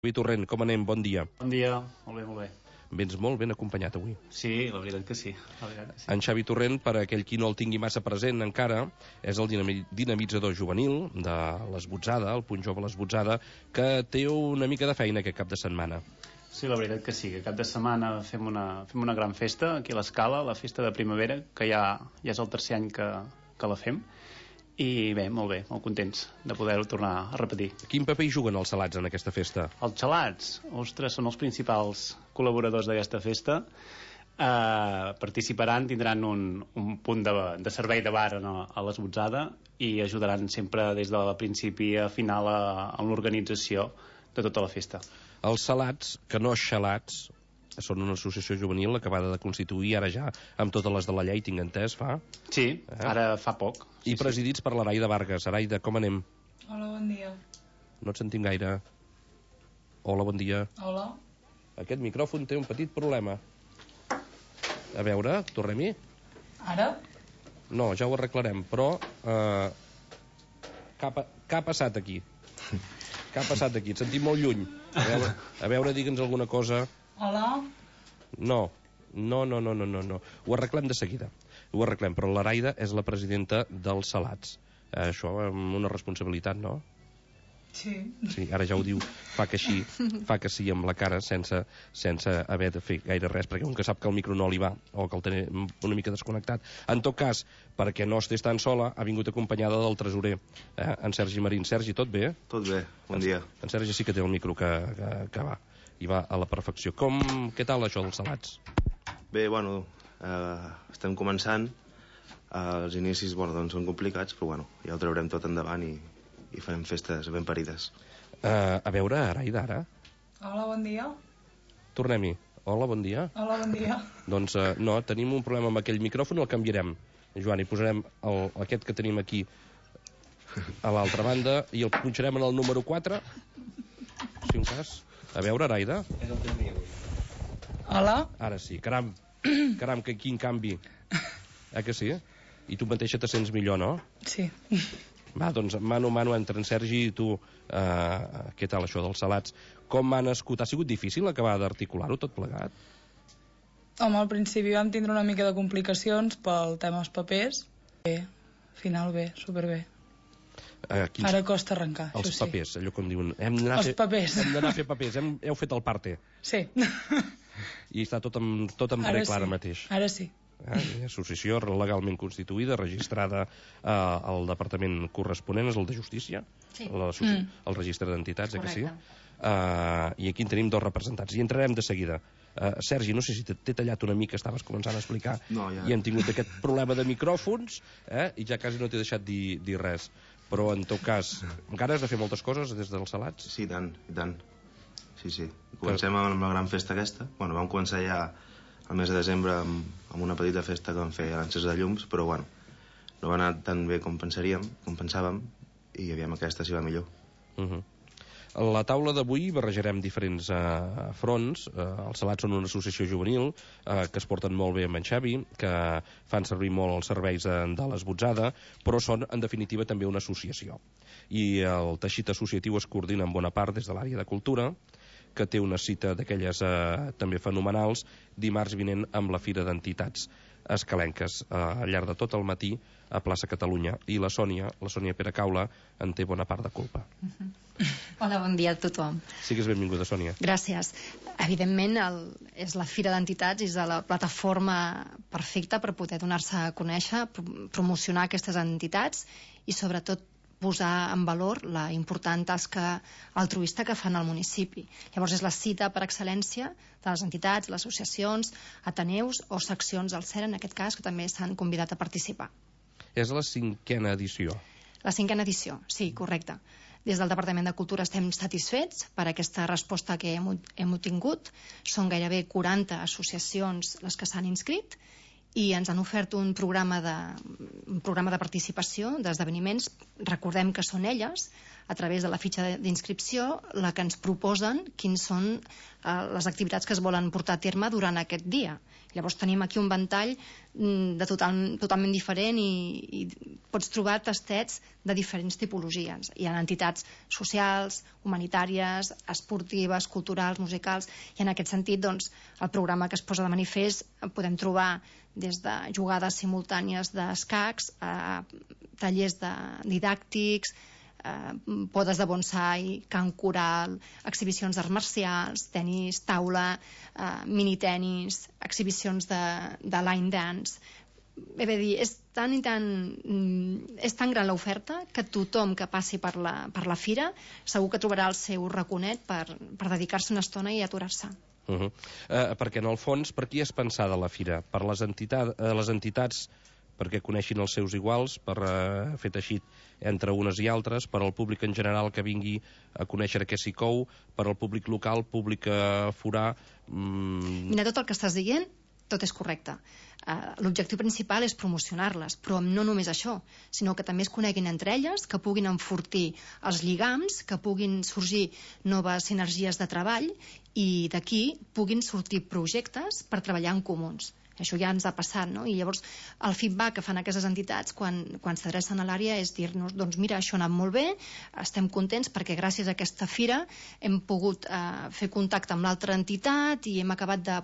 Xavi Torrent, com anem? Bon dia. Bon dia, molt bé, molt bé. Vens molt ben acompanyat avui. Sí, la veritat que sí. En Xavi Torrent, per a aquell qui no el tingui massa present encara, és el dinamitzador juvenil de l'Esbotzada, el Punt Jove l'Esbotzada, que té una mica de feina aquest cap de setmana. Sí, la veritat que sí, que cap de setmana fem una gran festa aquí a l'Escala, la festa de primavera, que ja és el tercer any que la fem. I bé, molt contents de poder-ho tornar a repetir. Quin paper hi juguen els salats en aquesta festa? Els gelats, ostres, són els principals col·laboradors d'aquesta festa. Participaran, tindran un punt de servei de bar a l'Esbotzada i ajudaran sempre des del principi a final en l'organització de tota la festa. Els salats, que no xalats, són una associació juvenil acabada de constituir ara ja amb totes les de la llei, tinc entès, fa? Sí, ara fa poc. I presidits per l'Araida Vargas. Araida, com anem? Hola, bon dia. No et sentim gaire. Hola, bon dia. Hola. Aquest micròfon té un petit problema. A veure, tornem-hi? Ara? No, ja ho arreglarem, però què ha passat aquí? Què ha passat aquí? Et sentim molt lluny. A veure, digue'ns alguna cosa. Hola? No. Ho arreglem de seguida. Ho arreglem, però l'Araida és la presidenta dels salats. Això amb una responsabilitat, no? Sí. Sí, ara ja ho diu, fa que sí amb la cara sense haver de fer gaire res, perquè un que sap que el micro no li va o que el té una mica desconnectat. En tot cas, perquè no estigués tan sola, ha vingut acompanyada del tresorer, en Sergi Marín. Sergi, tot bé? Tot bé, bon dia. En Sergi sí que té el micro que va, i va a la perfecció. Què tal això dels salats? Bé, bueno, estem començant. Els inicis, doncs són complicats, però ja ho traurem tot endavant i farem festes ben parides. A veure, Araida, ara. Hola, bon dia. Tornem-hi. Hola, bon dia. Hola, bon dia. Doncs no, tenim un problema amb aquell micròfon, el canviarem. Joan, hi posarem aquest que tenim aquí a l'altra banda i el punxarem en el número 4, si un cas. A veure, Araida. Hola. Ara sí, caram, que quin canvi. Que sí? I tu mateixa te sents millor, no? Sí. Va, doncs, mano a mano entre en Sergi i tu, què tal això dels salats? Com ha nascut? Ha sigut difícil acabar d'articular-ho tot plegat? Home, al principi vam tindre una mica de complicacions pel tema dels papers. Bé, al final bé, superbé. Ara costa arrencar, els això sí. Papers, allò com diuen... Papers. Hem d'anar a fer papers, heu fet el parte. Sí. I està tot en regla ara mateix. Ara sí. Associació legalment constituïda, registrada al departament corresponent, és el de Justícia, sí. El registre d'entitats, que sí? I aquí en tenim dos representants, i entrarem de seguida. Sergi, no sé si t'he tallat una mica, estaves començant a explicar, i hem tingut aquest problema de micròfons, i ja quasi no t'he deixat dir res. Però, en tot cas, encara has de fer moltes coses des dels salats? Sí, i tant. Sí. Comencem amb la gran festa aquesta. Vam començar ja el mes de desembre amb una petita festa que vam fer a l'encès de llums, però no va anar tan bé com pensàvem, i aviam aquesta s'hi va millor. A la taula d'avui barrejarem diferents fronts. Els salats són una associació juvenil que es porten molt bé amb en Xavi, que fan servir molt els serveis de l'Esbotzada, però són en definitiva també una associació, i el teixit associatiu es coordina en bona part des de l'àrea de cultura, que té una cita d'aquelles també fenomenals dimarts vinent amb la Fira d'Entitats Escalenques al llarg de tot el matí a plaça Catalunya, i la Sònia Peracaula en té bona part de culpa. Hola, bon dia a tothom. Sigues benvinguda, Sònia. Gràcies. Evidentment és la Fira d'Entitats, és la plataforma perfecta per poder donar-se a conèixer, promocionar aquestes entitats i sobretot posar en valor la important tasca altruista que fan al municipi. Llavors és la cita per excel·lència de les entitats, les associacions, ateneus o seccions del CER, en aquest cas, que també s'han convidat a participar. És la 5a edició. La 5a edició, sí, correcte. Des del Departament de Cultura estem satisfets per aquesta resposta que hem obtingut. Són gairebé 40 associacions les que s'han inscrit i ens han ofert un programa de participació, d'esdeveniments. Recordem que són elles a través de la fitxa d'inscripció, la que ens proposen quins són les activitats que es volen portar a terme durant aquest dia. Llavors tenim aquí un ventall totalment diferent i pots trobar tastets de diferents tipologies. Hi ha entitats socials, humanitàries, esportives, culturals, musicals, i en aquest sentit doncs, el programa que es posa de manifest podem trobar des de jugades simultànies d'escacs a tallers didàctics, podes de bonsai, cant coral, exhibicions d'arts marcials, tenis, taula, minitenis, exhibicions de line dance. Bé, dir, és tan gran l'oferta que tothom que passi per la fira segur que trobarà el seu raconet per dedicar-se una estona i aturar-se. Perquè en el fons, per qui és pensada la fira? Per les entitats perquè coneixin els seus iguals, per fer teixit entre unes i altres, per al públic en general que vingui a conèixer què s'hi cou, per al públic local, públic forà... Mira, tot el que estàs dient, tot és correcte. L'objectiu principal és promocionar-les, però no només això, sinó que també es coneguin entre elles, que puguin enfortir els lligams, que puguin sorgir noves sinergies de treball i d'aquí puguin sortir projectes per treballar en comuns. Això ja ens ha passat, no? I llavors el feedback que fan aquestes entitats quan s'adrecen a l'àrea és dir-nos, doncs mira, això ha anat molt bé, estem contents perquè gràcies a aquesta fira hem pogut fer contacte amb l'altra entitat i hem acabat de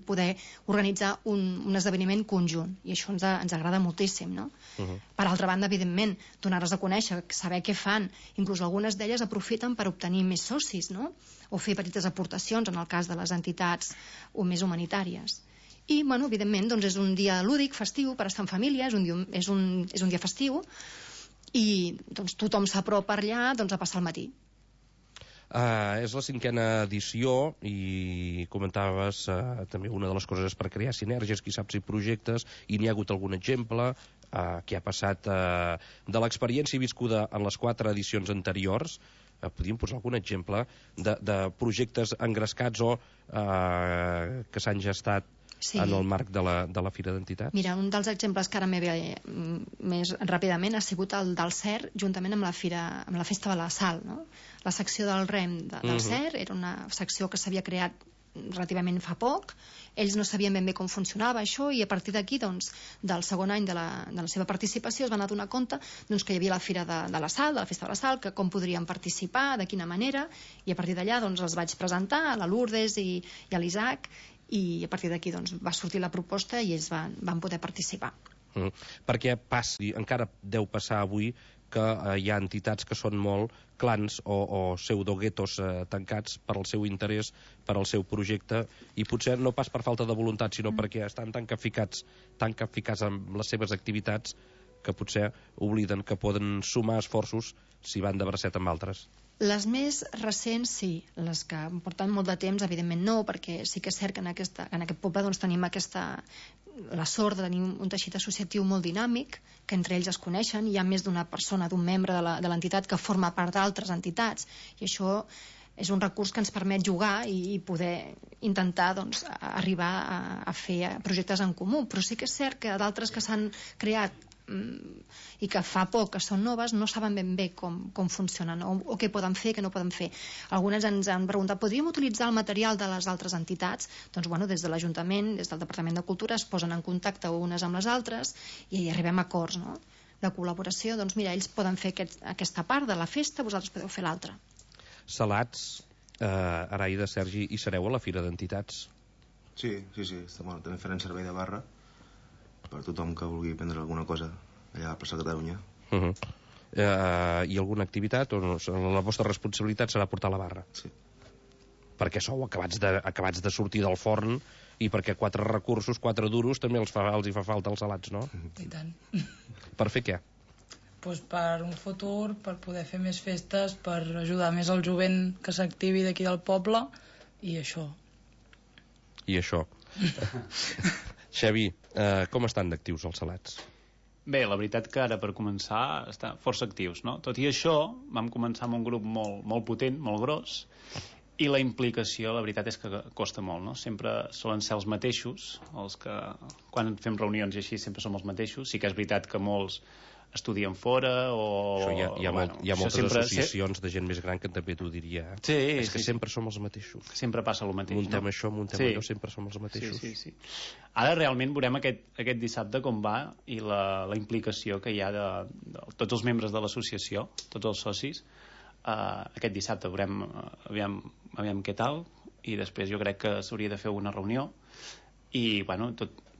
poder organitzar un esdeveniment conjunt, i això ens agrada moltíssim, no? Per altra banda, evidentment, donar-les a conèixer, saber què fan, inclús algunes d'elles aprofiten per obtenir més socis, no? O fer petites aportacions en el cas de les entitats o més humanitàries. I, bueno, evidentment, doncs és un dia lúdic, festiu, per estar en família, és un dia festiu, i doncs, tothom s'apropa allà doncs, a passar el matí. És la 5a edició i comentaves també una de les coses és per crear sinergies, qui sap si projectes, i n'hi ha hagut algun exemple que ha passat de l'experiència viscuda en les 4 edicions anteriors. Podríem posar algun exemple de projectes engrescats o que s'han gestat en el marc de la Fira d'Entitats? Mira, un dels exemples que ara m'he ve més ràpidament ha sigut el del CER, juntament amb la Festa de la Sal, no? La secció del REM del CER era una secció que s'havia creat relativament fa poc. Ells no sabien ben bé com funcionava això, i a partir d'aquí, doncs, del segon any de la seva participació es van adonar compte doncs, que hi havia la Fira de la Sal, de la Festa de la Sal, que com podrien participar, de quina manera, i a partir d'allà doncs, els vaig presentar a la Lourdes i a l'Isaac, i a partir d'aquí doncs, va sortir la proposta i ells van poder participar. Perquè encara deu passar avui que hi ha entitats que són molt clans o pseudoguetos tancats per al seu interès, per al seu projecte, i potser no pas per falta de voluntat, sinó perquè estan tan capficats amb les seves activitats que potser obliden que poden sumar esforços si van de bracet amb altres. Les més recents, sí. Les que porten molt de temps, evidentment no, perquè sí que és cert que en aquest poble doncs, tenim la sort de tenir un teixit associatiu molt dinàmic, que entre ells es coneixen, hi ha més d'una persona, d'un membre de l'entitat que forma part d'altres entitats, i això és un recurs que ens permet jugar i poder intentar doncs, arribar a fer projectes en comú. Però sí que és cert que d'altres que s'han creat i que fa poc que són noves no saben ben bé com funcionen o què poden fer, què no poden fer. Algunes ens han preguntat, podríem utilitzar el material de les altres entitats? Doncs bueno, des de l'Ajuntament, des del Departament de Cultura es posen en contacte unes amb les altres i arribem a acords, no? De col·laboració. Doncs mira, ells poden fer aquesta part de la festa, vosaltres podeu fer l'altra. Salats, Araida, Sergi, hi sereu a la Fira d'Entitats? Sí. També farem servei de barra per tothom que vulgui prendre alguna cosa allà a plaça Catalunya. I alguna activitat? O no? La vostra responsabilitat serà portar la barra? Sí. Perquè sou acabats de sortir del forn i perquè 4 recursos, 4 duros, també els hi fa falta els salats, no? I tant. Per fer què? Pues per un futur, per poder fer més festes, per ajudar més el jovent que s'activi d'aquí del poble, i això. I això. Xavi, com estan d'actius els salats? Bé, la veritat que ara per començar estan força actius, no? Tot i això, vam començar amb un grup molt potent, molt gros, i la implicació, la veritat és que costa molt, no? Sempre solen ser els mateixos, els que quan fem reunions i així sempre som els mateixos. Sí que és veritat que molts estudien fora o... Hi ha moltes associacions de gent més gran que també t'ho diria. Sí, és que sempre som els mateixos. Sempre passa el mateix. Muntem això, muntem allò, sempre som els mateixos. Sí. Ara realment veurem aquest dissabte com va i la implicació que hi ha de tots els membres de l'associació, tots els socis. Aquest dissabte veurem aviam què tal, i després jo crec que s'hauria de fer una reunió i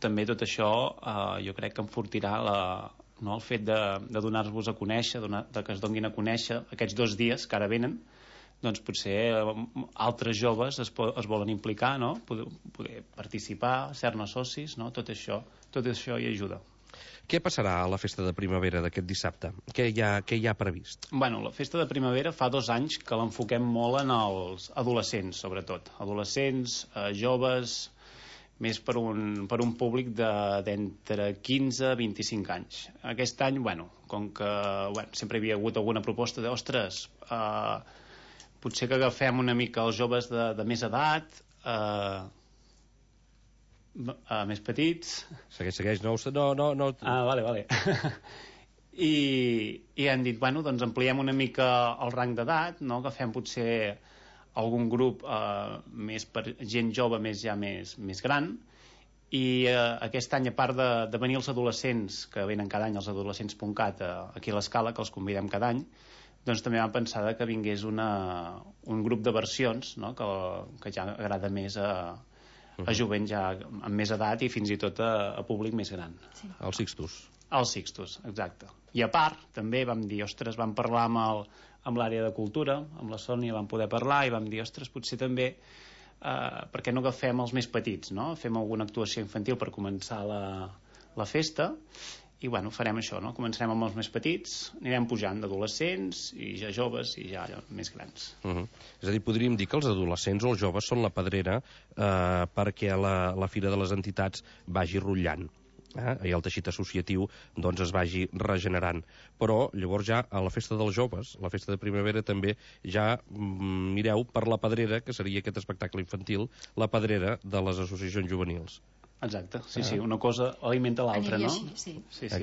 també tot això jo crec que enfortirà el fet de donar-vos a conèixer, de que es donguin a conèixer aquests 2 dies que ara venen. Doncs potser altres joves es volen implicar, no? Poder participar, ser-ne socis, no? Tot això hi ajuda. Què passarà a la festa de primavera d'aquest dissabte? Què hi ha previst? La festa de primavera fa 2 anys que l'enfoquem molt en els adolescents, sobretot. Adolescents, joves, més per un públic d'entre 15 i 25 anys. Aquest any, com que sempre hi havia hagut alguna proposta ostres, potser que agafem una mica els joves de més edat, més petits. Segueix, no. Vale. I han dit, doncs ampliem una mica el rang d'edat, no? Agafem potser algun grup més per gent jove més gran, i aquest any, a part de venir els adolescents, que venen cada any, els adolescents.cat aquí a l'Escala, que els convidem cada any, doncs també vam pensar que vingués un grup de versions, no? que ja agrada més a jovent ja amb més edat i fins i tot a públic més gran. Sí. Els Sixtus. Els Sixtus, exacte. I a part, també vam dir, vam parlar amb l'àrea de cultura, amb la Sònia vam poder parlar i vam dir, potser també per què no agafem els més petits, no? Fem alguna actuació infantil per començar la festa i farem això, no? Començarem amb els més petits, anirem pujant d'adolescents i ja joves i ja més grans. És a dir, podríem dir que els adolescents o els joves són la pedrera perquè la Fira de les Entitats vagi rotllant i el teixit associatiu es vagi regenerant. Però llavors ja a la festa dels joves, la festa de primavera, també ja mireu per la pedrera, que seria aquest espectacle infantil, la pedrera de les associacions juvenils. Exacte, sí, una cosa alimenta l'altra, no? Sí. Sí, la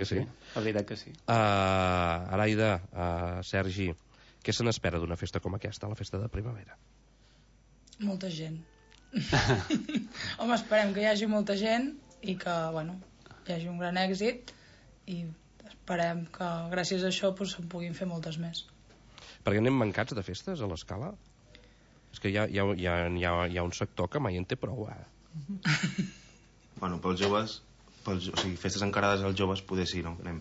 veritat que sí. Araida, Sergi, què se n'espera d'una festa com aquesta, la festa de primavera? Molta gent. Home, esperem que hi hagi molta gent i que, hi hagi un gran èxit i esperem que gràcies a això se'n puguin fer moltes més. Perquè anem mancats de festes a l'Escala? És que hi ha un sector que mai en té prou, pels joves, o sigui, festes encarades als joves poder sí, no? Anem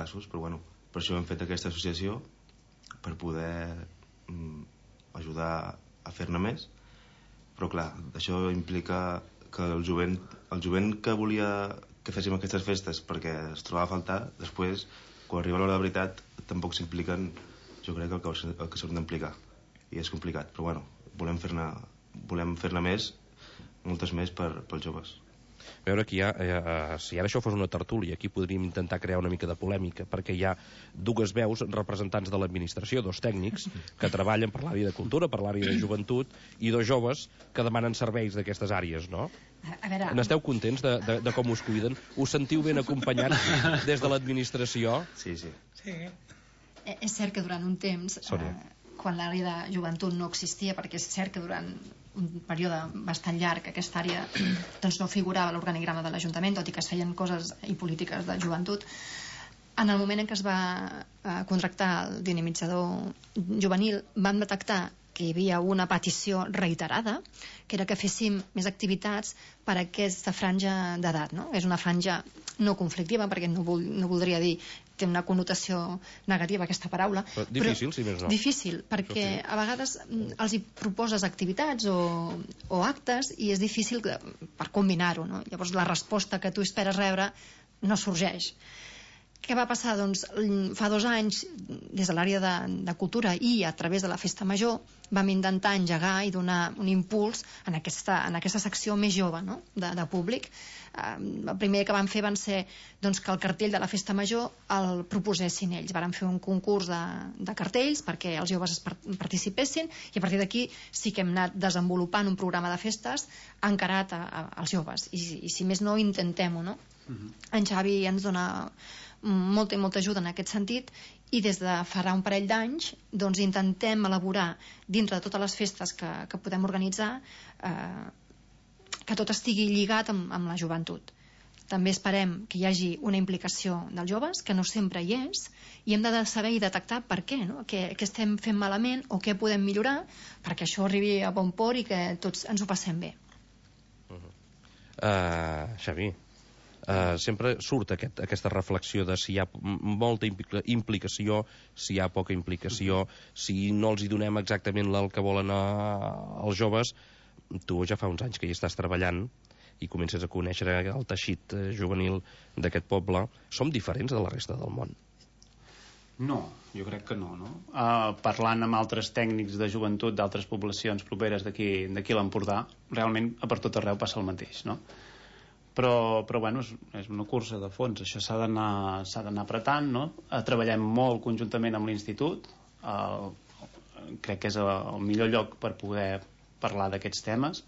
casos, però per això hem fet aquesta associació, per poder ajudar a fer-ne més, però clar, això implica que el jovent que volia que féssim aquestes festes perquè es trobava a faltar, després, quan arriba l'hora de veritat, tampoc s'impliquen, jo crec, el que s'han d'implicar, i és complicat, però volem fer-ne més, moltes més pels joves. A veure, aquí si ara això fos una tertúlia, aquí podríem intentar crear una mica de polèmica, perquè hi ha 2 veus representants de l'administració, 2 tècnics que treballen per l'àrea de cultura, per l'àrea de joventut, i 2 joves que demanen serveis d'aquestes àrees, no? N'esteu contents de com us cuiden? Us sentiu ben acompanyats des de l'administració? Sí. És cert que durant un temps, quan l'àrea de joventut no existia, perquè és cert que durant un període bastant llarg aquesta àrea no figurava a l'organigrama de l'Ajuntament, tot i que es feien coses i polítiques de joventut. En el moment en què es va contractar el dinamitzador juvenil, vam detectar que hi havia una petició reiterada, que era que féssim més activitats per a aquesta franja d'edat, no? És una franja no conflictiva, perquè no voldria dir, té una connotació negativa aquesta paraula. Però difícil, si més no. Difícil, perquè a vegades els hi proposes activitats o actes i és difícil per combinar-ho, no? Llavors la resposta que tu esperes rebre no sorgeix. Què va passar? Doncs fa 2 anys, des de l'àrea de cultura i a través de la Festa Major, vam intentar engegar i donar un impuls en aquesta secció més jove, no? de públic. El primer que van fer van ser que el cartell de la Festa Major el proposessin ells. Varen fer un concurs de cartells perquè els joves participessin i a partir d'aquí sí que hem anat desenvolupant un programa de festes encarat als joves. I si més no, intentem-ho, no? En Xavi ens dona molta i molta ajuda en aquest sentit, i des de farà un parell d'anys doncs intentem elaborar dintre de totes les festes que podem organitzar que tot estigui lligat amb la joventut. També esperem que hi hagi una implicació dels joves, que no sempre hi és, i hem de saber i detectar per què, no? Què estem fent malament o què podem millorar perquè això arribi a bon port i que tots ens ho passem bé. Xavi, sempre surt aquesta reflexió de si hi ha molta implicació, si hi ha poca implicació, si no els hi donem exactament el que volen els joves. Tu ja fa uns anys que hi estàs treballant i comences a conèixer el teixit juvenil d'aquest poble. Som diferents de la resta del món? No, jo crec que no. Parlant amb altres tècnics de joventut d'altres poblacions properes d'aquí a l'Empordà, realment per tot arreu passa el mateix, no? Però bueno, és una cursa de fons, això s'ha d'anar apretant, no? Treballem molt conjuntament amb l'Institut, crec que és el millor lloc per poder parlar d'aquests temes,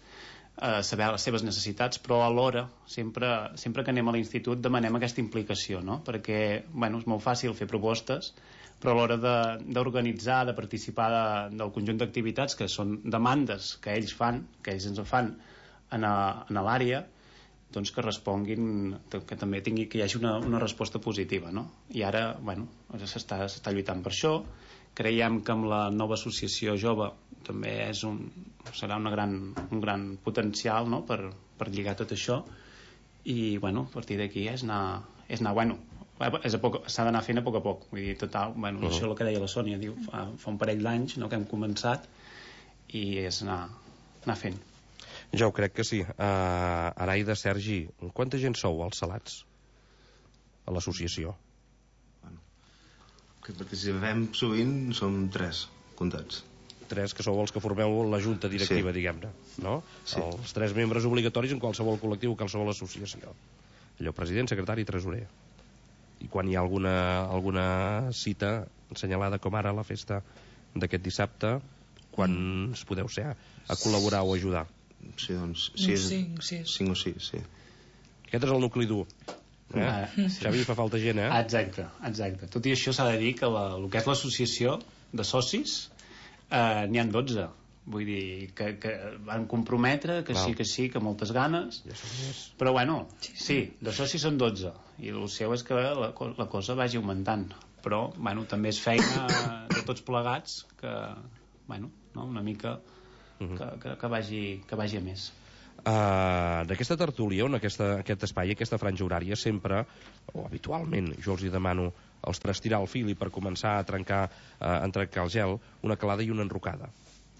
saber les seves necessitats, però alhora sempre que anem a l'institut demanem aquesta implicació, no? Perquè bueno, és molt fàcil fer propostes, però a l'hora d'organitzar, de participar del conjunt d'activitats que són demandes que ells ens fan a l'àrea, doncs que responguin, que també que hi hagi una resposta positiva, no? I ara bueno, s'està lluitant per això. Creiem que amb la nova associació jove també serà un gran potencial, no? per lligar tot això, i bueno, a partir d'aquí s'ha d'anar fent a poc. Vull dir, total, bueno, això és el que deia la Sònia, diu, fa un parell d'anys, no?, que hem començat, i és anar fent. Jo crec que sí. Araida, Sergi, quanta gent sou als Salats a l'associació? Que participem sovint som 3 comptats. 3, que sou els que formeu la junta directiva, sí, diguem-ne, no? Sí. Els 3 membres obligatoris en qualsevol col·lectiu o qualsevol associació. Allò, president, secretari i tresorer. I quan hi ha alguna cita assenyalada com ara la festa d'aquest dissabte, quants podeu ser a col·laborar o ajudar? Sí, doncs 5 o 6, sí. Aquest és el nucli dur. Sí. Xavi, fa falta gent, Exacte. Tot i això s'ha de dir que el que és l'associació de socis n'hi ha 12. Vull dir que van comprometre, que sí, que moltes ganes, però bueno, sí, de socis són 12 i el seu és que la cosa vagi augmentant, però bueno, també és feina de tots plegats que bueno, no? Una mica que vagi a més. D'aquesta tertúlia, on aquest espai, aquesta franja horària, sempre, o habitualment, jo els hi demano als 3 tirar el fil i per començar a trencar el gel, una calada i una enrocada.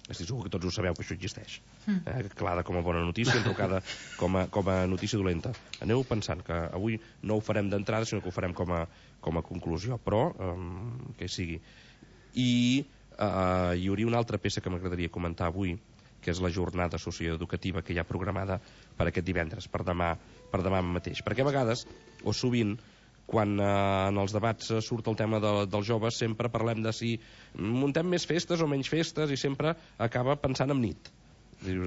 Estic segur que tots ho sabeu, que això existeix. Calada com a bona notícia, enrocada com a notícia dolenta. Aneu pensant que avui no ho farem d'entrada, sinó que ho farem com a conclusió, però que sigui. I hi hauria una altra peça que m'agradaria comentar avui, que és la jornada socioeducativa que hi ha programada per aquest divendres, per demà mateix. Perquè a vegades, o sovint, quan en els debats surt el tema dels joves, sempre parlem de si muntem més festes o menys festes, i sempre acaba pensant en nit.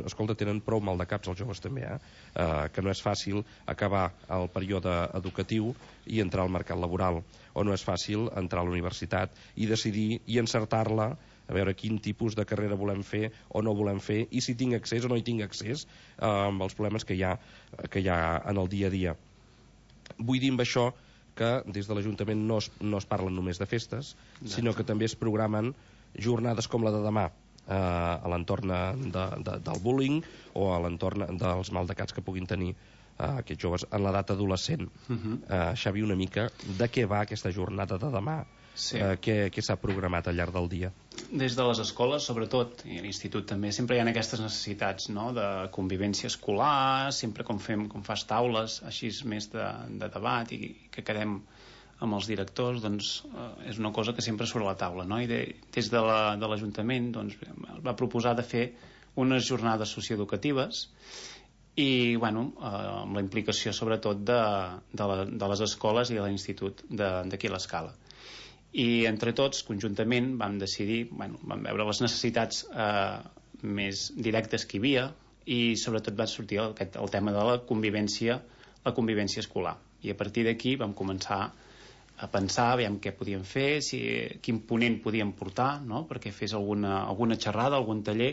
Escolta, tenen prou mal de caps els joves també, que no és fàcil acabar el període educatiu i entrar al mercat laboral, o no és fàcil entrar a la universitat i decidir i encertar-la, a veure quin tipus de carrera volem fer o no volem fer, i si tinc accés o no hi tinc accés amb els problemes que hi ha en el dia a dia. Vull dir amb això que des de l'Ajuntament no es parlen només de festes, sinó que també es programen jornades com la de demà, a l'entorn del bullying o a l'entorn dels maldecats que puguin tenir aquests joves en l'edat adolescent. Xavi, una mica de què va aquesta jornada de demà? Sí. Què s'ha programat al llarg del dia? Des de les escoles, sobretot, i a l'institut també, sempre hi ha aquestes necessitats, no?, de convivència escolar, sempre com fas taules així més de debat i que quedem amb els directors, doncs és una cosa que sempre surt a la taula, no? I des de l'Ajuntament doncs, va proposar de fer unes jornades socioeducatives i bueno, amb la implicació sobretot de les escoles i de l'institut d'aquí a l'Escala. I entre tots, conjuntament, vam decidir, vam veure les necessitats més directes que hi havia, i sobretot va sortir el tema de la convivència escolar. I a partir d'aquí vam començar a pensar, aviam què podíem fer, quin ponent podíem portar, no? Perquè fes alguna xerrada, algun taller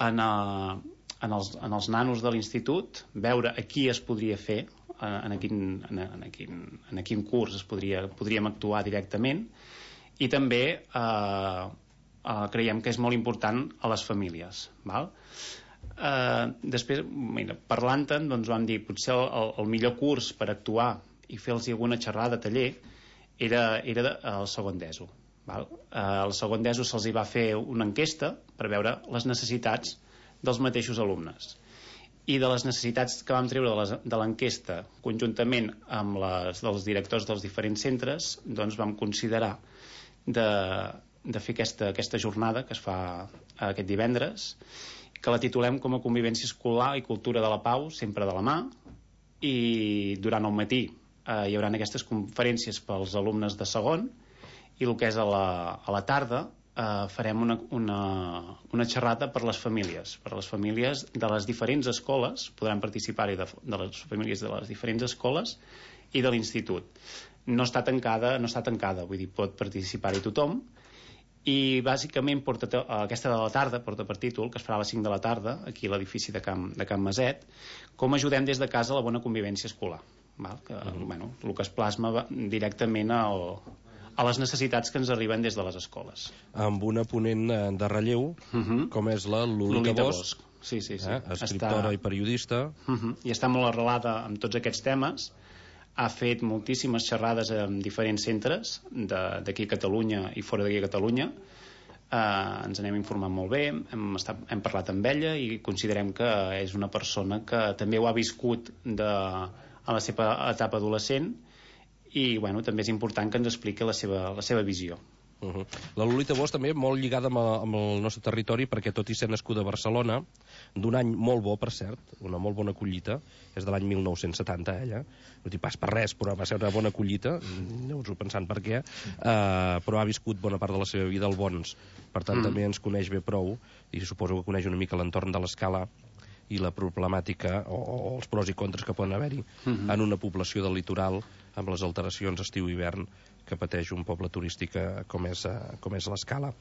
en els nanos de l'institut, veure a qui es podria fer, en quin curs podríem actuar directament, i també creiem que és molt important a les famílies, val? Després, parlant-en, doncs vam dir potser el millor curs per actuar i fer-los alguna xerrada, taller, era el segon d'ESO, val? Al segon d'ESO se'ls va fer una enquesta per veure les necessitats dels mateixos alumnes, i de les necessitats que vam treure de l'enquesta conjuntament amb les dels directors dels diferents centres, doncs vam considerar de fer aquesta jornada que es fa aquest divendres, que la titulem com a Convivència Escolar i Cultura de la Pau, sempre de la mà, i durant el matí hi haurà aquestes conferències pels alumnes de segon, i el que és a la tarda farem una xerrada per les famílies de les diferents escoles, podran participar-hi de les famílies de les diferents escoles i de l'institut. No està tancada, vull dir, pot participar-hi tothom, i bàsicament aquesta de la tarda porta per títol, que es farà a les 5 de la tarda aquí a l'edifici de Can Maset, com ajudem des de casa a la bona convivència escolar, val? Que, el que es plasma directament a les necessitats que ens arriben des de les escoles, amb una ponent de relleu com és la Lolita Bosch. Sí. Escriptora i periodista, i està molt arrelada amb tots aquests temes. Ha fet moltíssimes xerrades en diferents centres d'aquí a Catalunya i fora d'aquí a Catalunya. Ens anem informant molt bé, hem parlat amb ella i considerem que és una persona que també ho ha viscut a la seva etapa adolescent, i també és important que ens expliqui la seva visió. La Lolita Bosch també molt lligada amb el nostre territori, perquè tot i ser nascuda a Barcelona, d'un any molt bo, per cert, una molt bona collita, és de l'any 1970 ella, no dic pas per res, però va ser una bona collita, aneu-vos-ho pensant per què, però ha viscut bona part de la seva vida al Bons, per tant també ens coneix bé prou, i suposo que coneix una mica l'entorn de l'Escala i la problemàtica o els pros i contres que poden haver-hi en una població del litoral amb les alteracions estiu-hivern que pateix un poble turístic com és l'Escala.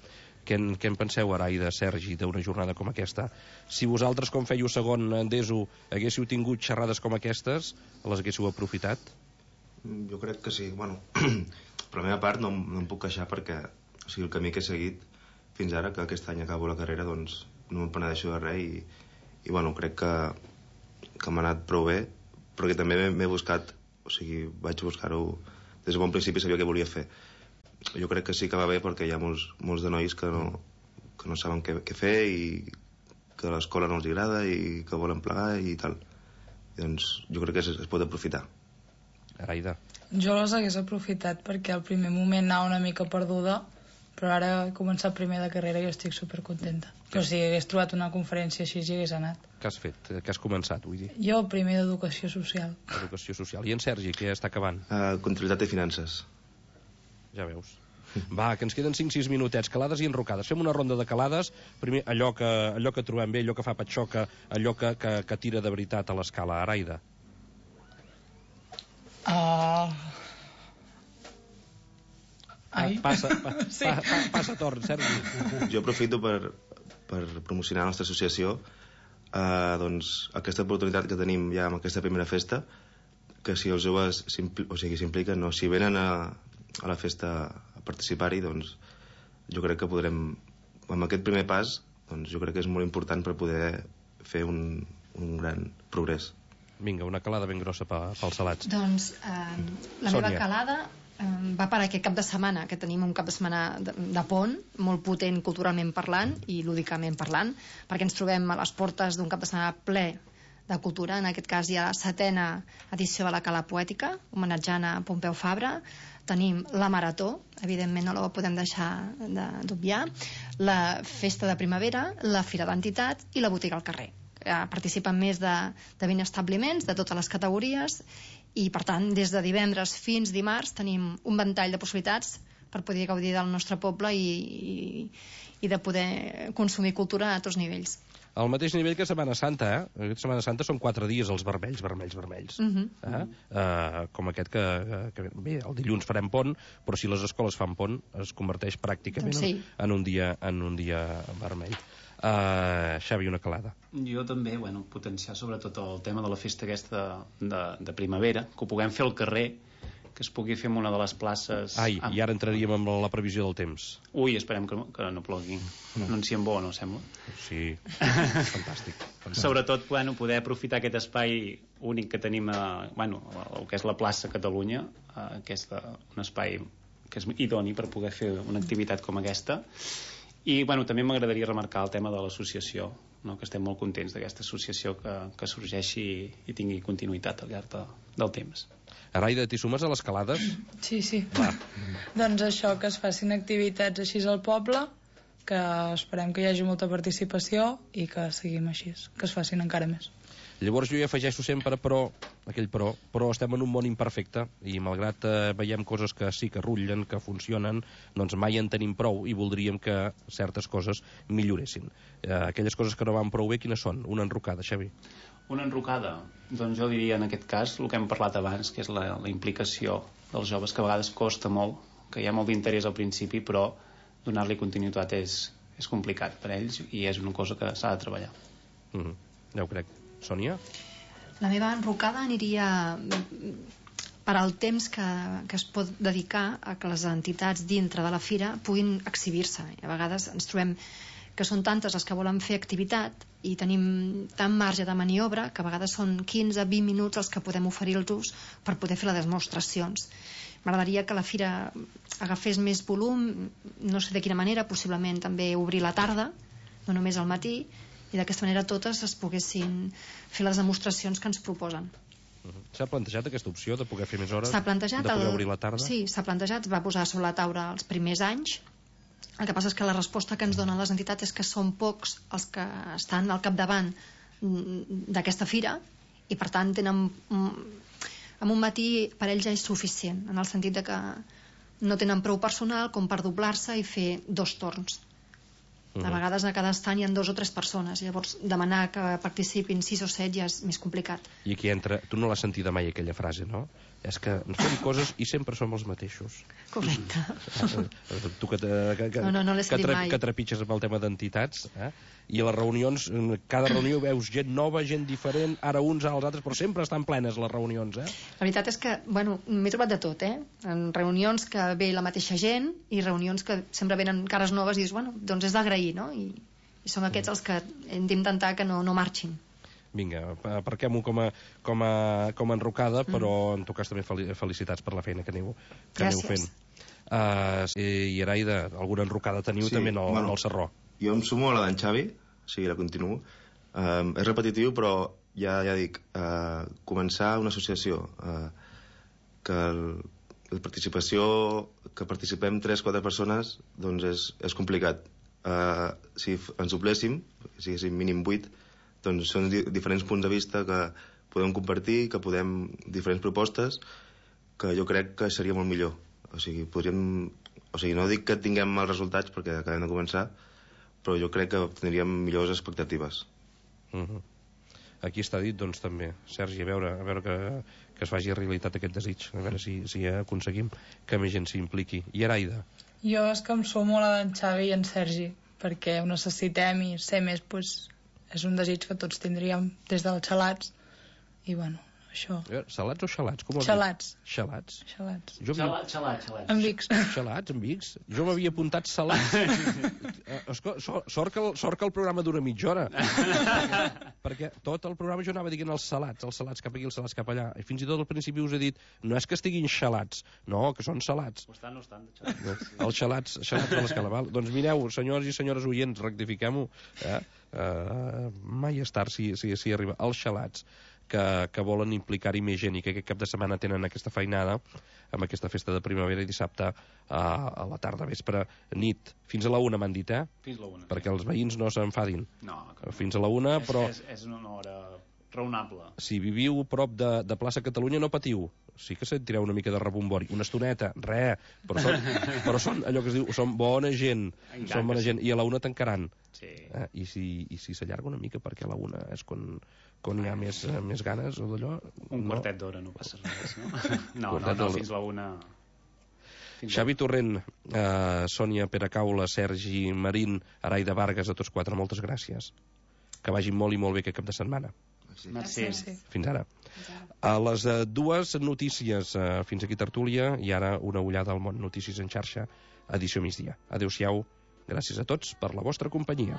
Què en penseu, Araida, Sergi, d'una jornada com aquesta? Si vosaltres, com fèieu segon d'ESO, haguéssiu tingut xerrades com aquestes, les haguéssiu aprofitat? Jo crec que sí. Bueno, per la meva part no em puc queixar, perquè el camí que he seguit fins ara, que aquest any acabo la carrera, doncs no em penedeixo de res, i crec que m'ha anat prou bé, perquè també m'he buscat, vaig buscar-ho des de bon principi, sabia què volia fer. Jo crec que sí que va bé, perquè hi ha molts de nois que no saben què fer, i que l'escola no els agrada i que volen plegar i tal. I doncs jo crec que es pot aprofitar. Araida? Jo les hagués aprofitat, perquè al primer moment anava una mica perduda, però ara he començat primer de carrera i estic supercontenta. O sigui, hagués trobat una conferència així i hagués anat. Què has fet? Què has començat, vull dir? Jo primer d'Educació Social. Educació Social. I en Sergi, què està acabant? Comptabilitat i finances. Ja veus. Va, que ens queden 5-6 minutets, calades i enrocades. Fem una ronda de calades. Primer, allò que trobem bé, allò que fa patxoca, allò que tira de veritat a l'Escala. Araida? Passa torn, Sergi. Jo aprofito per promocionar la nostra associació, doncs aquesta oportunitat que tenim ja amb aquesta primera festa, que si els joves s'impliquen, si venen a la festa a participar-hi, doncs jo crec que podrem, amb aquest primer pas, doncs jo crec que és molt important per poder fer un gran progrés. Vinga, una calada ben grossa pels salats. Doncs la meva calada va per aquest cap de setmana, que tenim un cap de setmana de pont, molt potent culturalment parlant i lúdicament parlant, perquè ens trobem a les portes d'un cap de setmana ple de cultura. En aquest cas hi ha la 7a edició de la Cala Poètica, homenatjant a Pompeu Fabra. Tenim la Marató, evidentment no la podem deixar d'obviar, la Festa de Primavera, la Fira d'Entitats i la Botiga al Carrer. Participen més de 20 establiments de totes les categories, i per tant des de divendres fins dimarts tenim un ventall de possibilitats per poder gaudir del nostre poble i de poder consumir cultura a tots nivells. Al mateix nivell que Setmana Santa, Aquesta Setmana Santa són 4 dies els vermells. Com aquest que... Bé, el dilluns farem pont, però si les escoles fan pont, es converteix pràcticament en un dia vermell. Xavi, una calada. Jo també, potenciar sobretot el tema de la festa aquesta de primavera, que ho puguem fer al carrer, que es pugui fer en una de les places... I ara entraríem amb la previsió del temps. Ui, esperem que no plogui. Anunciem bo, no sembla? Sí, fantàstic. Sobretot, poder aprofitar aquest espai únic que tenim el que és la plaça Catalunya, que és un espai que és idoni per poder fer una activitat com aquesta. I també m'agradaria remarcar el tema de l'associació, que estem molt contents d'aquesta associació que sorgeixi i tingui continuïtat al llarg del temps. Araida, t'hi sumes a les calades? Sí. Doncs això, que es facin activitats així al poble, que esperem que hi hagi molta participació i que seguim així, que es facin encara més. Llavors jo hi afegeixo sempre però estem en un món imperfecte i malgrat veiem coses que sí que rutllen, que funcionen, doncs mai en tenim prou i voldríem que certes coses milloressin. Aquelles coses que no van prou bé, quines són? Una enrocada, Xavi. Una enrocada? Doncs jo diria en aquest cas el que hem parlat abans, que és la implicació dels joves, que a vegades costa molt, que hi ha molt d'interès al principi, però donar-li continuïtat és complicat per ells i és una cosa que s'ha de treballar. Ja ho crec. Sònia? La meva enrocada aniria per al temps que es pot dedicar a que les entitats dintre de la fira puguin exhibir-se. A vegades ens trobem que són tantes les que volen fer activitat i tenim tant marge de maniobra que a vegades són 15-20 minuts els que podem oferir-los per poder fer les demostracions. M'agradaria que la fira agafés més volum, no sé de quina manera, possiblement també obrir la tarda, no només al matí, i d'aquesta manera totes es poguessin fer les demostracions que ens proposen. S'ha plantejat aquesta opció de poder fer més hores? S'ha plantejat, de poder obrir la tarda? Sí, s'ha plantejat, es va posar sobre la taula els primers anys. El que passa és que la resposta que ens donen les entitats és que són pocs els que estan al capdavant d'aquesta fira i per tant tenen en un matí per ells ja és suficient, en el sentit de que no tenen prou personal com per doblar-se i fer 2 torns. A vegades a cada estant hi ha 2 o 3 persones, llavors demanar que participin 6 o 7 ja és més complicat. I aquí entra, tu no l'has sentida mai aquella frase, no? És que ens fem coses i sempre som els mateixos. Correcte. Tu que l'he sentit mai. Que trepitges amb el tema d'entitats, i a les reunions, cada reunió veus gent nova, gent diferent, ara uns, ara els altres, però sempre estan plenes les reunions, La veritat és que, m'he trobat de tot, en reunions que ve la mateixa gent i reunions que sempre venen cares noves i dius, doncs és d'agrair, no? I són aquests els que hem d'intentar que no marxin. Vinga, aparquem-ho com a enrocada, però en tot cas també felicitats per la feina que aneu fent. I Araida, alguna enrocada teniu també al Sarró? Jo em sumo a la d'en Xavi, o sigui, la continuo. És repetitiu, però ja dic, començar una associació, que la participació, que participem 3-4 persones, doncs és complicat. Si ens dobléssim, si siguéssim mínim 8, doncs són diferents punts de vista que podem compartir, que podem diferents propostes, que jo crec que seria molt millor. O sigui, no dic que tinguem els resultats perquè acabem de començar, però jo crec que tindríem millors expectatives. Aquí està dit, doncs, també. Sergi, a veure que es faci realitat aquest desig, a veure si aconseguim que més gent s'hi impliqui. I Araida? Jo és que em sumo a la d'en Xavi i en Sergi, perquè ho necessitem i ser més, és un desig que tots tindríem des dels xalats i això. Salats o xalats? Xalats. Xalats? Xalats. Amb Vics. Xalats, amb Vics? Jo m'havia apuntat salats. Sort que el programa dura mitja hora. Perquè tot el programa jo anava dient els salats cap aquí, els salats cap allà. I fins i tot al principi us he dit, no és que estiguin xalats, no, que són salats. Ho estan, xalats. Els xalats de l'escala, val? Doncs mireu, senyors i senyores oients, rectifiquem-ho. Mai és tard si arriba. Els xalats que volen implicar-hi més gent i que aquest cap de setmana tenen aquesta feinada amb aquesta festa de primavera i dissabte a la tarda, vespre, nit. Fins a la 1 m'han dit, Fins a la 1. Perquè els veïns no s'enfadin. No. Fins a la 1, però... És una hora raonable. Si viviu prop de plaça Catalunya, no patiu. Sí que sentireu una mica de rebombori. Una estoneta, res. Però són allò que es diu, són bona gent. Són bona gent. I a la 1 tancaran. Sí. I si s'allarga una mica, perquè a la 1 és quan hi ha més ganes o d'allò... Un quartet d'hora, no passa res, no? No, fins la 1... Xavi Torrent, Sònia Peracaula, Sergi Marín, Araida Vargas, a tots 4, moltes gràcies. Que vagi molt i molt bé aquest cap de setmana. Merci. Fins ara. A les 2 notícies, fins aquí tertúlia, i ara una ullada al món. Notícies en xarxa, edició migdia. Adéu-siau, gràcies a tots per la vostra companyia.